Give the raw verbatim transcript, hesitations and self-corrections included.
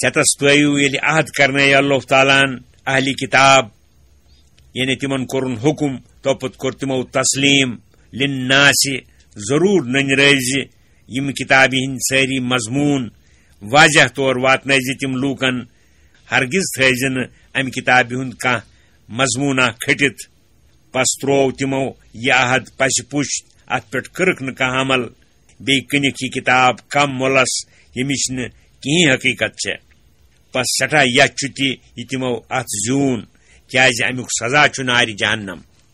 ژےٚ تس تٲیِو ییٚلہِ عہد کرنٲے اللہ تعالیٰ ہن اہلِ کتاب، یعنی تِمن کوٚرُن حُکم، توپتہٕ کوٚر تِمو تسلیٖم، لِلناس، ضروٗر نٔنۍ رٲزِ یِم کتابہِ ہٕنٛدۍ سٲری مضموٗن واضح طور واتنٲے زِ تِم لوٗکن۔ ہرگز تھٲے زِ نہٕ امہِ کتابہِ ہُنٛد کانٛہہ مضموٗنہ کھٔٹِتھ۔ پس تروو تِمو یہِ عہد پسہِ پُش، اتھ پٮ۪ٹھ کٔرٕکھ نہٕ کانٛہہ عمل۔ بیٚیہِ کٕنِکھ یہِ کتاب کم مۄلس، ییٚمِچ نہٕ کِہیٖنۍ حقیٖقت چھےٚ۔ پس سٮ۪ٹھاہ یَتھ چھُ تہِ یہِ تِمو اتھ زیوٗن، کیازِ امیُک سزا چھُ نارِ جہنم۔